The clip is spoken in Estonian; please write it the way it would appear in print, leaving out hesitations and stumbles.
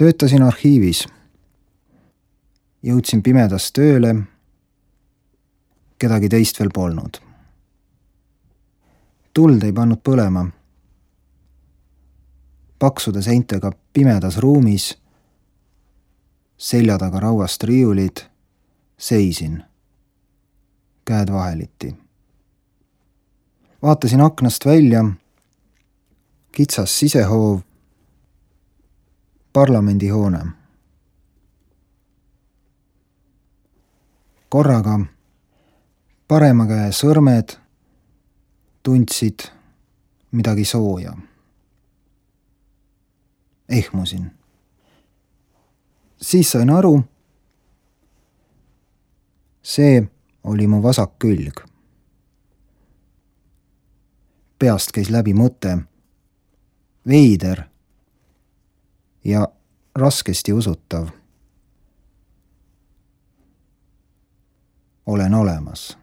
Töötasin arhiivis. Jõudsin pimedas tööle, kedagi teist veel polnud. Tuld ei pannud põlema. Paksude seintega pimedas ruumis, selja taga rauast riiulid, seisin, käed vaheliti. Vaatasin aknast välja, kitsas sisehoov, parlamendihoone. Korraga parema käe sõrmed tundsid midagi sooja. Ehmusin. Siis sain aru, see oli mu vasak külg. Peast käis läbi mõte, veider ja raskesti usutav. Olen olemas.